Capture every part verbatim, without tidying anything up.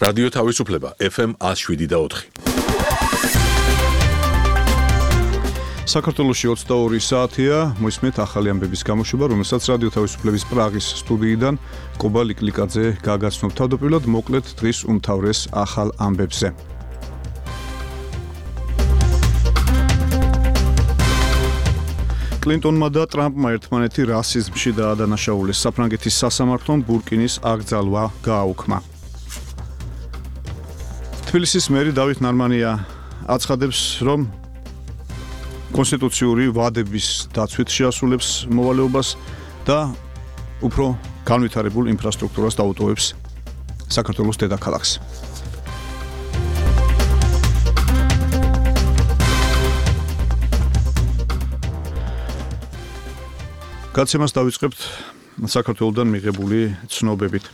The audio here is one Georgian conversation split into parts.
რადიო თავისუფლება ეფ ემ one oh seven და four. საქართველოში ოცდაორი საათია, მოისმენთ ახალი ამბების გამოშვება, რომელსაც რადიო თავისუფლების პრაღის სტუდიიდან კობა ლიკლიკაძე გაგაცნობ. თავდაპირველად მოკლედ დღის უმთავრეს ახალ ამბებზე. კლინტონმა და ტრამპმა ერთმანეთი რასიზმში დაადანაშაულეს. საფრანგეთის სასამართლომ ბურკინის აკრძალვა გააუქმა. თბილისის მერი დავით ნარმანია აცხადებს, რომ კონსტიტუციური ვადების დაცვით შეასრულებს მოვალეობას და უფრო განვითარებულ ინფრასტრუქტურას დაუტოვებს საქართველოს დედაქალაქს. გაცემას დავიწყებთ საქართველოსდან მიღებული ცნობებით.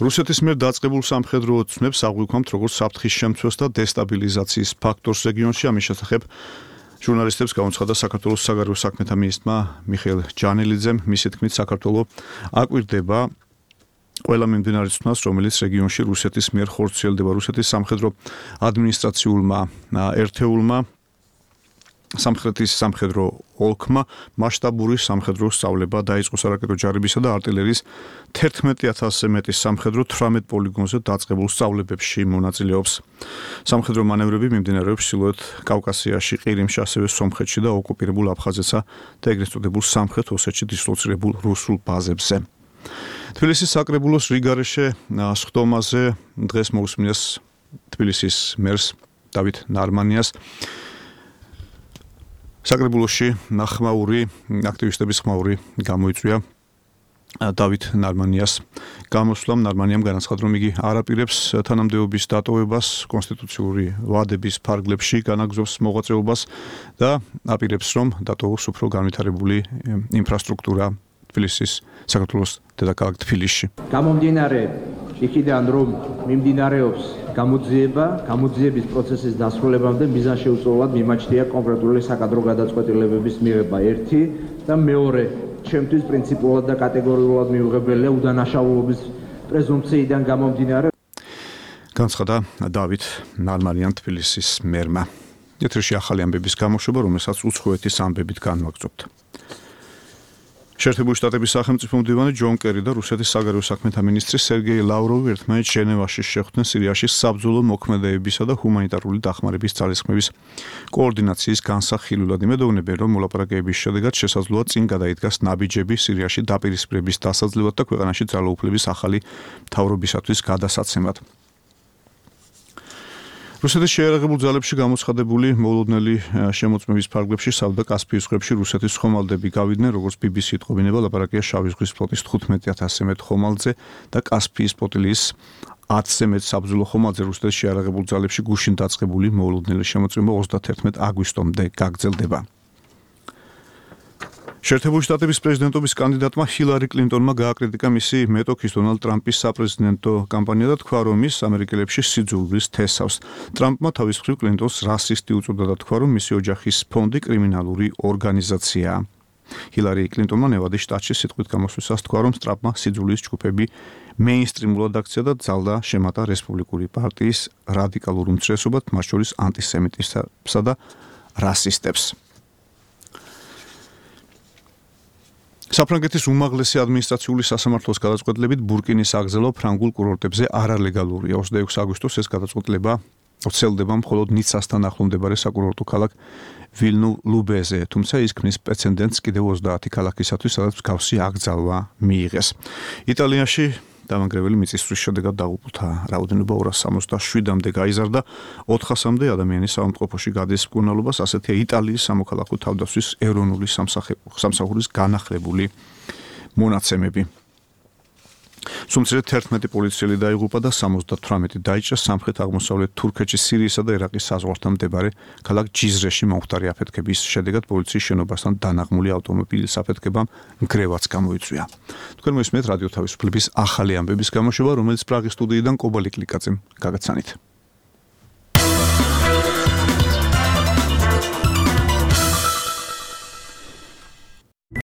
რუსეთის მიერ დაწყებულ სამხედრო ცნებს აღვიქვამთ როგორც საფრთხის შემცვას და დესტაბილიზაციის ფაქტორს რეგიონში. ამის შესახებ ჟურნალისტებს გამოცხადა საქართველოს საგარეო საქმეთა მინისტრმა მიხეილ ჯანელიძემ. მისი თქმით, საქართველო აკვირდება ყველა მიმდინარე ცნას, რომელიც რეგიონში რუსეთის მიერ ხორციელდება. რუსეთის სამხედრო ადმინისტრაციულმა ერთეულმა სამხრეთის სამხედრო ოლქმა მასშტაბური სამხედრო სწავლება დაიწყო სარაკეტო ჯარებისა და артиლერიის თერთმეტ ათასზე მეტი სამხედრო თვრამეტ პოლიგონზე დაწყებულ სწავლებებში მონაწილეობს. სამხედრო მანევრები მიმდინარეობს ჩრდილოეთ კავკასიაში, ყირიმში, ასევე სომხეთში და ოკუპირებულ აფხაზეთსა და ეგრეთ წოდებულ სამხრეთ ოსეთში დისლოცირებულ რუსულ ბაზებზე. თბილისის საკრებულოს რიგარეშე სხდომაზე დღეს მოусმინეს თბილისის მერს დავით ნარმანიას. საკრებულოში ხმაური აქტივისტების ხმაური გამოიწვია დავით ნარმანიას გამოსვლამ. ნარმანიამ განაცხადა, რომ იგი არ აპირებს თანამდებობის დატოვებას, კონსტიტუციური ვადების ფარგლებში განაგზობს მოღვაწეობას და აპირებს, რომ დატოვოს უფრო განვითარებული ინფრასტრუქტურა თბილისის საქართველოს დედაქალაქ თბილისში. გამომდინარე იქიდან, რომ მიმდინარეობს გამოძიება, გამოძიების პროცესის დასრულებამდე მიზანშეუწმებლად მიმაჩნია კონკრეტული საკადრო გადაწყვეტილებების მიღება. ერთი და მეორე, ჩემთვის პრინციპულად და კატეგორიულად მიუღებელია უდანაშაულობის პრეზუმპციიდან გამომდინარე. განცხადა დავით ნარმანიამ თბილისის მერმა. ეთერში ახალი ამბების გამოშვება, რომელსაც უცხოეთის ამბებით განვაგრძობთ. შეერთებული შტატების სახელმწიფო მდივანი ჯონ კერი და რუსეთის საგარეო საქმეთა მინისტრი სერგეი ლავროვი ერთმანეთს ჟენევაში შეხვდნენ სირიაში საბრძოლო მოქმედებებისა და ჰუმანიტარული დახმარების ძალისხმევის კოორდინაციის განსახილვად. იმედოვნებენ, რომ მოლაპარაკებების შედეგად შესაძლოა წინ გადაიდგას ნაბიჯები სირიაში დაპირისპირების დასაძლევად და ქვეყანაში ძალაუფლების ახალი მთავრობისათვის გადასაცემად. რუსეთის შეიარაღებულ ძალებში გამოცხადებული მოულოდნელი შემოწმების ფარგლებში საუდა კასპიის ზღვებში რუსეთის ხომალდები გავიდნენ, როგორც ბი ბი სი იტყობინება, ლაპარაკია შავი ზღვის ფლოტის თხუთმეტ ათასზე მეტ ხომალდზე და კასპიის ფლოტილის ათზე მეტ საბრძოლო ხომალდზე. რუსეთის შეიარაღებულ ძალებში გუშინ დაწყებული მოულოდნელი შემოწმება ოცდათერთმეტ აგვისტომდე გაგრძელდება. შეერთებული შტატების პრეზიდენტობის კანდიდატმა ჰილარი კლინტონმა გააკრიტიკა მისი მეტოქის დონალდ ტრამპის საპრეზიდენტო კამპანია და თქვა, რომ ის ამერიკელებში სიძულვილს თესავს. ტრამპმა თავის მხრივ კლინტონს რასისტი უწოდა და თქვა, რომ მისი ოჯახის ფონდი კრიმინალური ორგანიზაციაა. ჰილარი კლინტონმა ნევადის შტატში სიტყვით გამოსვლისას თქვა, რომ ტრამპმა სიძულის ჯგუფები მეინსტრიმულად აქცია და ძალდა შემატა რესპუბლიკური პარტიის რადიკალურ უმცირესობად, მათ შორის ანტისემიტიზმსა და რასისტებს. საფრანგეთის უმაღლესი ადმინისტრაციული სასამართლოს გადაწყვეტილებით ბურკინის აკრძალვა ფრანგულ კურორტებზე არალეგალურია. ოცდაექვსი აგვისტოს ეს გადაწყვეტილება ვრცელდება მხოლოდ ნიცასთან ახლო მდებარე საკურორტო ქალაქ ვილნუ-ლუბეზე, თუმცა ის ქმნის პრეცედენტს კიდევ ოცდაათი ქალაქისათვის, სადაც მსგავსი აკრძალვა მიიღეს. იტალიაში დამანგრეველი მიწისძვრის შედეგად დაღუპულთა რაოდენობა ორას სამოცდაშვიდამდე გაიზარდა, ოთხასამდე ადამიანი საავადმყოფოში გადის მკურნალობას. ასეთია იტალიის სამოქალაქო თავდაცვის ეროვნული სამსახურის განახლებული მონაცემები. სუმცირედ თერთმეტი პოლიციელი დაიღუპა და სამოცდათვრამეტი დაიჭრა სამხრეთ-აღმოსავლეთ თურქეთში, სირიისა და ერაყის საზღვართან მდებარე ქალაქ ჯიზრეში მომხდარი აფეთქების შედეგად პოლიციის შენობასთან დანაღმული ავტომობილის აფეთქებამ ნგრევაც გამოიწვია. თქვენ მოისმენთ რადიო თავისუფლების ახალი ამბების გამოშვება, რომელიც პრაღის სტუდიიდან კობა ლიკლიკაძემ გაგაცანით.